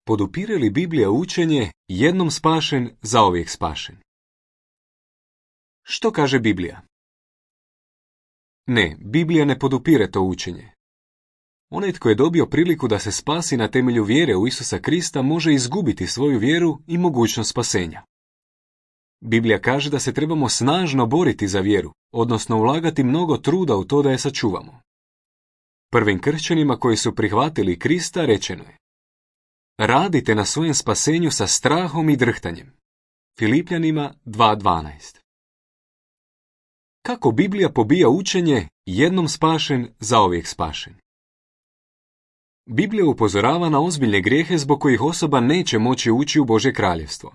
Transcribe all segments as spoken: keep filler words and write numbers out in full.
Podupire li Biblija učenje jednom spašen, zauvijek spašen? Što kaže Biblija? Ne, Biblija ne podupire to učenje. Onaj tko je dobio priliku da se spasi na temelju vjere u Isusa Krista može izgubiti svoju vjeru i mogućnost spasenja. Biblija kaže da se trebamo snažno boriti za vjeru, odnosno ulagati mnogo truda u to da je sačuvamo. Prvim kršćanima koji su prihvatili Krista rečeno je: radite na svojem spasenju sa strahom i drhtanjem. Filipljanima dva dvanaest. Kako Biblija pobija učenje jednom spašen, zauvijek spašen? Biblija upozorava na ozbiljne grijehe zbog kojih osoba neće moći ući u Božje kraljevstvo.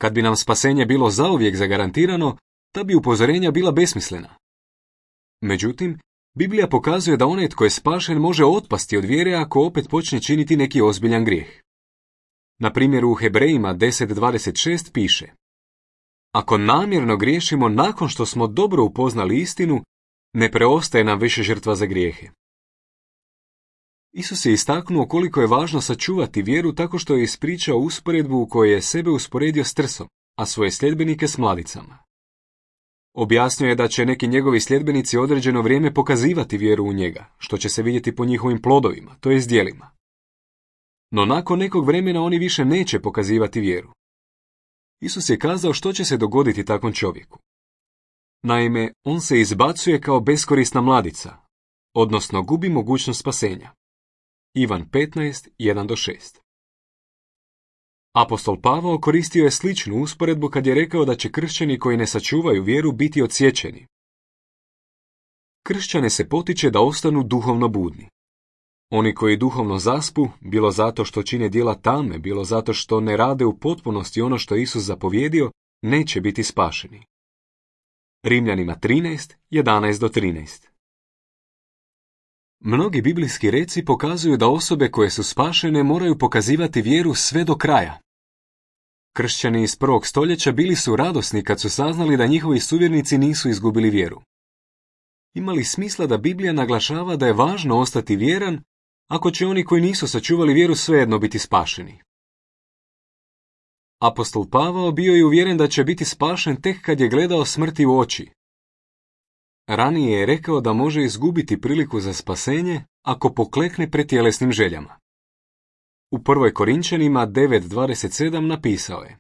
Kad bi nam spasenje bilo zauvijek zagarantirano, ta bi upozorenja bila besmislena. Međutim, Biblija pokazuje da onaj tko je spašen može otpasti od vjere ako opet počne činiti neki ozbiljan grijeh. Na primjer u Hebrejima deset dvadeset šest piše: ako namjerno griješimo nakon što smo dobro upoznali istinu, ne preostaje nam više žrtva za grijehe. Isus je istaknuo koliko je važno sačuvati vjeru tako što je ispričao usporedbu u kojoj je sebe usporedio s trsom, a svoje sljedbenike s mladicama. Objasnio je da će neki njegovi sljedbenici određeno vrijeme pokazivati vjeru u njega, što će se vidjeti po njihovim plodovima, to jest djelima. No nakon nekog vremena oni više neće pokazivati vjeru. Isus je kazao što će se dogoditi takvom čovjeku. Naime, on se izbacuje kao beskorisna mladica, odnosno gubi mogućnost spasenja. Ivan petnaest jedan do šest. Apostol Pavao koristio je sličnu usporedbu kad je rekao da će kršćani koji ne sačuvaju vjeru biti odsječeni. Kršćane se potiče da ostanu duhovno budni. Oni koji duhovno zaspu, bilo zato što čine djela tame, bilo zato što ne rade u potpunosti ono što je Isus zapovjedio, neće biti spašeni. Rimljanima trinaest jedanaest do trinaest. Mnogi biblijski reci pokazuju da osobe koje su spašene moraju pokazivati vjeru sve do kraja. Kršćani iz prvog stoljeća bili su radosni kad su saznali da njihovi suvjernici nisu izgubili vjeru. Ima li smisla da Biblija naglašava da je važno ostati vjeran ako će oni koji nisu sačuvali vjeru svejedno biti spašeni? Apostol Pavao bio je uvjeren da će biti spašen tek kad je gledao smrti u oči. Ranije je rekao da može izgubiti priliku za spasenje ako poklekne pred tjelesnim željama. U prvoj Korinčanima devet dvadeset sedam napisao je: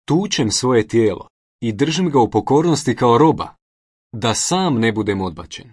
tučem svoje tijelo i držim ga u pokornosti kao roba, da sam ne budem odbačen.